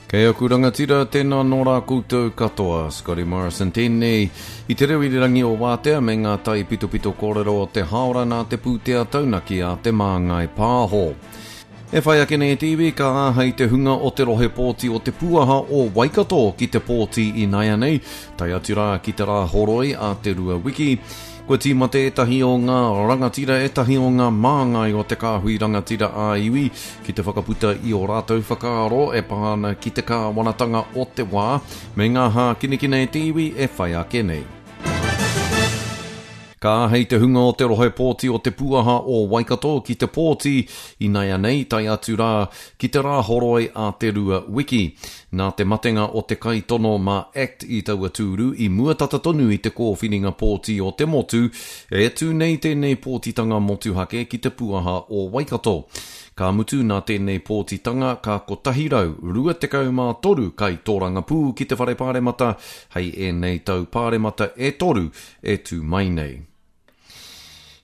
Kei aku rangatira, tēnā nō rā koutou katoa. Scotty Morrison tēnei i te reo irirangi o Wātea me ngā taipitopito kōrero o te hāora nā te pūtea taunaki a Te Māngai Pāho. E whai ake nei te iwi ka āhei te hunga o te rohe pōti o Te Pūaha o Waikato ki te pōti ināianei, tae atu rā ki te Rāhoroi a te Rua Wiki. Kua tīmata ētahi o ngā rangatira, ētahi o ngā māngai o te kāhui rangatira ā-iwi ki te whakaputa i ō rātou whakaaro e pā ana ki te kāwanatanga o te wā me ngā hākinakina e te iwi e whai ake nei. Ka āhei te hunga o te rohe pōti o Te Pūaha o Waikato ki te pōti inaianei tae atu rā ki te Rāhoroi a te 2 wiki. Nā te matenga o te kaitono mā act i taua tūru i mua tata tonu i te kōwhiringa pōti o te motu, e tū nei tēnei pōtitanga motuhake ki Te Pūaha o Waikato. Ka mutu nā tēnei pōtitanga ka 123 kaitōrangapū ki te Whare Pāremata hei ēnei tau pāremata e toru e tū mai nei.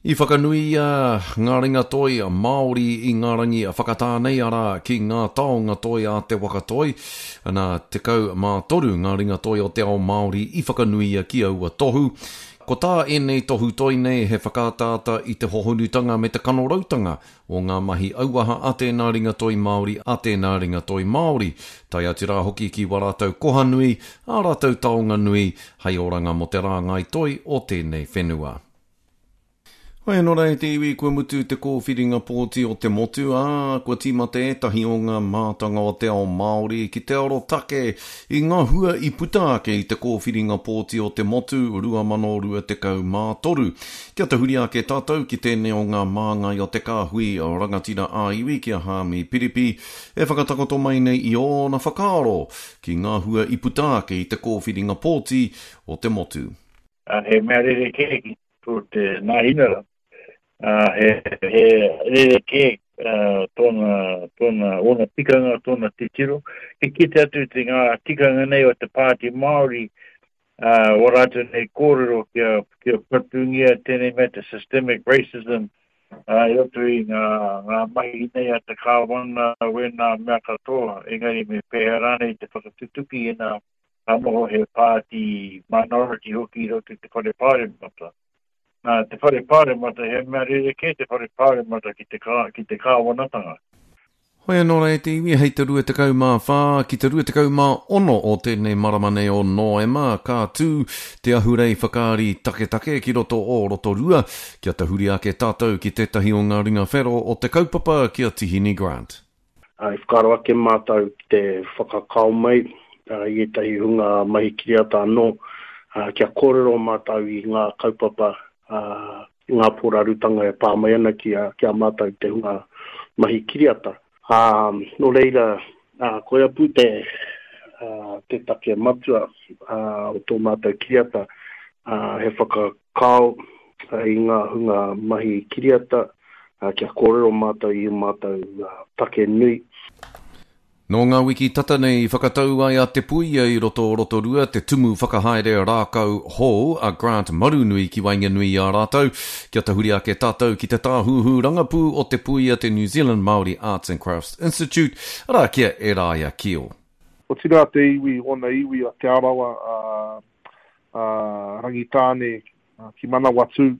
I whakanuia ngā ringa toi Māori i ngā rangi whakatā nei, arā, ki ngā taonga toi a te waka toi. Nā, 13 ngā ringa toi o te ao Māori i whakanuia ki aua tohu. Ko tā ēnei tohu toi nei he whakaataata i te hohonutanga me te kanorautanga o ngā mahi auaha a tēnā ringa toi Māori, a tēnā ringa toi Māori, tae atu rā hoki ki wā rātou koha nui, ā rātou taonga nui, hei oranga mō te rāngai toi o tēnei whenua. Hoi anō rā e te iwi, kua mutu te kōwhiringa pōti o te motu, ā, kua tīmata ētahi o ngā mātanga o te ao Māori ki te arotake i ngā hua i puta ake i te kōwhiringa pōti o te motu 2023. Kia tahuri ake tātou ki tēnei o ngā māngai o te kāhui rangatira ā-iwi ki a Haami Piripi e whakatakoto mai nei i ōna whakaaro ki ngā hua i puta ake i te kōwhiringa pōti o te motu. He mea rerekē ki tō te Nāhinara, he, he rerekē tōna, tōna, ōna tikanga, tōna titiro. Ki kite atu te ngā tikanga nei o te Pāti Māori ā, wā rātou nei kōrero kia, kia patungia tēnei mea te systemic racism, ā, i roto i ngā, ngā mahi nei a te kāwana, wēnā mea katoa, engari me pēhea rānei te whakatutuki ina ka noho he pāti minority hoki i roto i te whare pāremata. Nā, te whare pāremata, he mea rerekē te whare pāremata ki te, kā, ki te kāwanatanga. Hoi anō rā e te iwi, hei te 24 ki te 26 o tēnei marama nei o Nōema, ka tū te ahurei whakaari taketake ki roto o Rotorua, kia tahuri ake tātou ki tētahi o ngā ringa whero o te kaupapa ki a Tihini Grant. I whakaaro ake mātou ki te whakakao mai i ētahi hunga mahi kiriata anō, kia kōrero mātou i ngā kaupapa i ngā pōrarutanga e pā mai ana ki a, ki a mātou te hunga mahi kiriata. Ā, nō reira, ā, koia pū te, ā, te take matua, ā, o tō mātou kiriata, ā, he whakakao i ngā hunga mahi kiriata, ā, kia kōrero mātou i ū mātou take nui. Nō ngā wiki tata nei i whakatau ai a Te Puia i roto o Rotorua te tumu whakahaere rākau hou a Grant Marunui ki waenganui i a rātou. Kia tahuri ake tātou ki te tāhuhu rangapū o Te Puia te New Zealand Māori Arts and Crafts Institute, arā ki a Eraia Kio. Otirā te iwi, ōna iwi a Te Arawa, a, a Rangitāne ki Manawatū,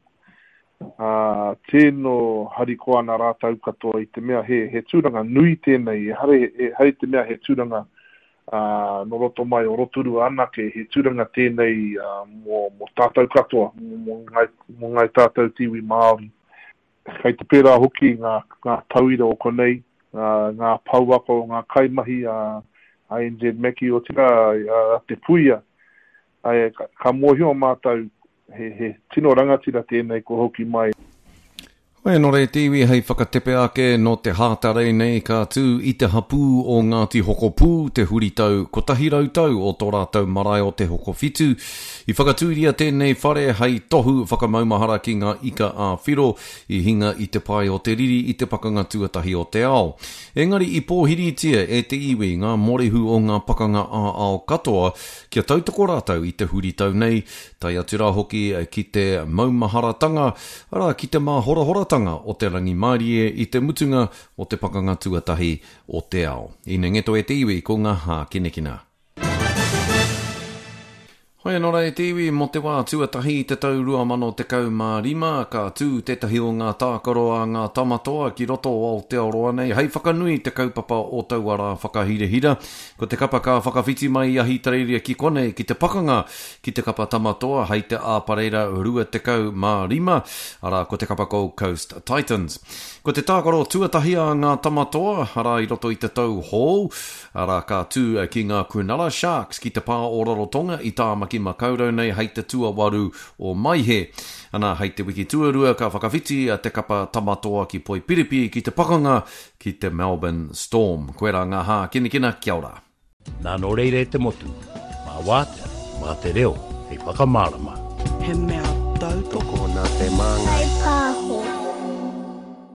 ā, tino harikoa ana rātou katoa i te mea he, he tūranga nui tēnei, ehara, ehara i te mea he tūranga ā, nō roto mai o Rotorua anake, he tūranga tēnei ā, mō, mō tātou katoa, mō, mō ngāi, mō ngāi tātou te iwi Māori. Kei te pērā hoki ngā, ngā tauira o konei, ngā, ngā pouako, ngā kaimahi a, a NZ Mackie, otirā a, a Te Puia, Ae, ka mōhio mātou he, he tino rangatira tēnei kua hoki mai. Hoi anō rē te iwi hei whakatepe ake nō te Hātarei nei ka tū i te hapū o Ngāti Hokopū te huritau 100 tau o tō rātou marae o Te Hokowhitu. I whakatūria tēnei whare hei tohu whakamaumahara ki ngā ika ā-whiro i hinga i te pae o te riri i te Pakanga Tuatahi o te Ao. Engari i pōhiritia e te iwi ngā morehu o ngā pakanga ā-ao katoa Kia tautoko rātou i te huritau nei, tae atu rā hoki ki te maumaharatanga, arā, ki te māhorahoratanga. tīmatanga o te rangimārie i te mutunga o te Pakanga Tuatahi o te Ao. Inengeto e te iwi ko ngā hākinakina. Hoi anō rā e te iwi, mō te wā tuatahi i te tau 2015, ka tū tētahi o ngā tākaro a ngā Tamatoa ki roto o Aotearoa nei hei whakanui te kaupapa o taua rā whakahirahira. Ko te kapa ka whakawhiti mai i Ahitereiria ki konei ki te pakanga ki te kapa Tamatoa hei te Āpareira 25, arā ko te kapa Gold Coast Titans. Ko te tākaro tuatahi a ngā Tamatoa, arā i roto i te tau hou, Arā, ka tū ki ngā Cronulla Sharks ki te pā o Rarotonga i Tāmaki Makaurau nei hei te tuawaru o Maehe. Ana, hei te wiki tuarua ka whakawhiti a te kapa Tamatoa ki Poipiripi ki te pakanga ki te Melbourne Storm. Koirā ngā hākinakina, kia ora. Nā nō reira e te motu, mā Wātea, mā te reo hei whakamārama. He mea tautoko. Tokona te māngai.